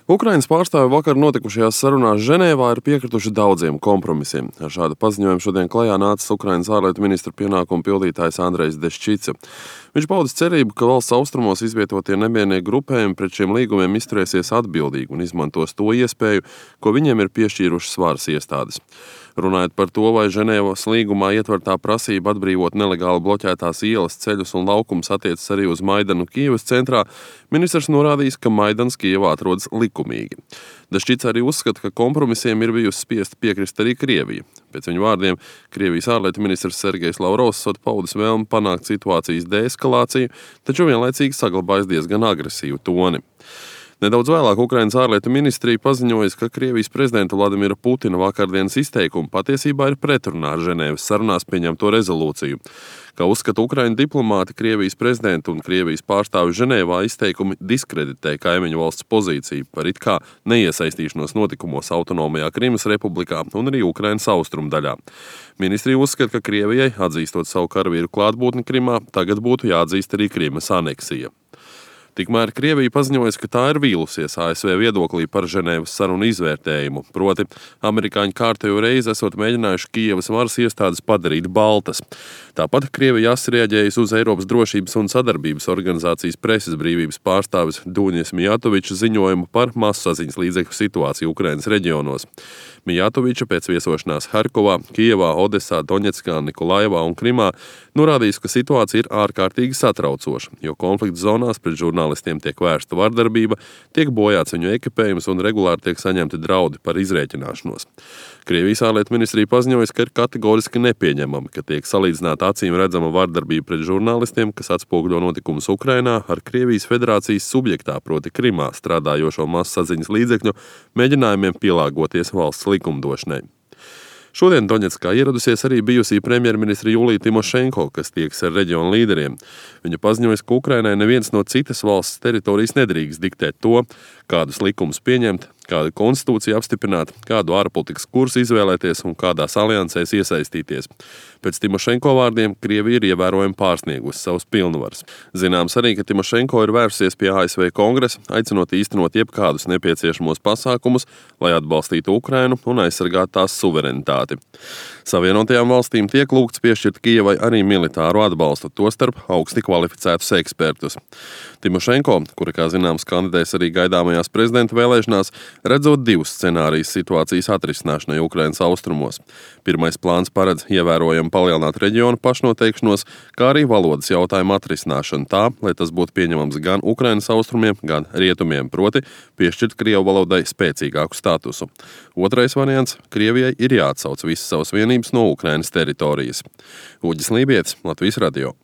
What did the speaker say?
Ukrainas pārstāvji vakar notikušajās sarunās Ženēvā ir piekrituši daudziem kompromisiem. Ar šādu paziņojumu šodien klajā nācis Ukrainas ārlietu ministra pienākumu pildītājs Andrejs Deščica. Viņš paudis cerību, ka valsts austrumos izvietotie nemiernieku grupējumi pret šiem līgumiem izturēsies atbildīgi un izmantos to iespēju, ko viņiem ir piešķīrušas varas iestādes. Runājot par to, vai Ženēvas līgumā ietvertā prasība atbrīvot nelegāli bloķētās ielas, ceļus un laukumus attiecas arī uz Maidanu Kijevas centrā, ministrs norādījis, ka Maidans Kijevā atrodas likumīgi. Deščica arī uzskata, ka kompromisiem ir bijusi spiesta piekrist arī Krievija. Pēc viņa vārdiem, Krievijas ārlietu ministrs Sergejs Lavrovs paudis vēlmi panākt situācijas deeskalāciju, taču vienlaicīgi saglabājis diezgan agresīvu toni. Nedaudz vēlāk Ukrainas ārlietu ministrija paziņoja, ka Krievijas prezidenta Vladimira Putina vakardienas izteikumi patiesībā ir pretrunā ar Ženēvas sarunās pieņemto rezolūciju. Kā uzskata Ukraiņu diplomāti, Krievijas prezidenta un Krievijas pārstāvju Ženēvā izteikumi diskreditē kaimiņu valsts pozīciju par it kā neiesaistīšanos notikumos autonomajā Krimas republikā un arī Ukrainas austrumu daļā. Ministrija uzskata, ka Krievijai, atzīstot savu karavīru klātbūtni Krimā, tagad būtu jāatzīst arī Krimas aneksija. Tikmēr Krievija paziņojas, ka tā ir vīlusies ASV viedoklī par Ženēvas sarunu izvērtējumu, proti amerikāņu kārtējo reizi esot mēģinājuši Kijevas varas iestādes padarīt baltas. Tāpat Krievija asrieģējas uz Eiropas drošības un sadarbības organizācijas preses brīvības pārstāvis Duņas Mijatoviča ziņojumu par masasaziņas līdzekļu situāciju Ukrainas reģionos. Mijatoviča pēc viesošanās Harkovā, Kijevā, Odesā, Doņetskā, Nikolaevā un Krimā norādījis, ka situācija ir ārkārtīgi satraucoša, jo konflikta zonās pret žurnālistiem tiek vērsta vardarbība, tiek bojāts viņu ekipējums un regulāri tiek saņemti draudi par izrēķināšanos. Krievijas ārlietu ministrija paziņojas, ka ir kategoriski nepieņemami, ka tiek salīdzināta acīm redzama vardarbība pret žurnālistiem, kas atspoguļo notikumus Ukrainā, ar Krievijas federācijas subjektā, proti Krimā, strādājošo masasaziņas līdzekļu mēģinājumiem pielāgoties valsts likumdošanai. Šodien Doņetskā ieradusies arī bijusī premjerministra Julija Timošenko, kas tieks ar reģionu līderiem. Viņa paziņoja, ka Ukrainai neviens no citas valsts teritorijas nedrīkst diktēt to, kādus likumus pieņemt, kādu konstitūciju apstiprināt, kādu ārpolitikas kursu izvēlēties un kādās aliansēs iesaistīties. Pēc Timošenko vārdiem Krievija ir ievērojami pārsniegusi savus pilnvaras. Zināms arī, ka Timošenko ir vērsusies pie ASV kongresa, aicinot īstenot jebkādus nepieciešamos pasākumus, lai atbalstītu Ukrainu un aizsargātu tās suverenitāti. Savienotajām valstīm tiek lūgts piešķirt Kijevai arī militāru atbalstu, tostarp augsti kvalificētus ekspertus. Timošenko, kura, kā zināms, kandidēs arī gaidāmajās prezidenta vēlēšanās, redzot divus scenārijus situācijas atrisināšanai Ukrainas austrumos. Pirmais plāns paredz ievērojami palielināt reģionu pašnoteikšanos, kā arī valodas jautājumu atrisināšanu tā, lai tas būtu pieņemams gan Ukrainas austrumiem, gan rietumiem, proti piešķirt Krievu valodai spēcīgāku statusu. Otrais variants – Krievijai ir jāatsauc visas savas vienības no Ukrainas teritorijas. Uģis Lībietis, Latvijas radio.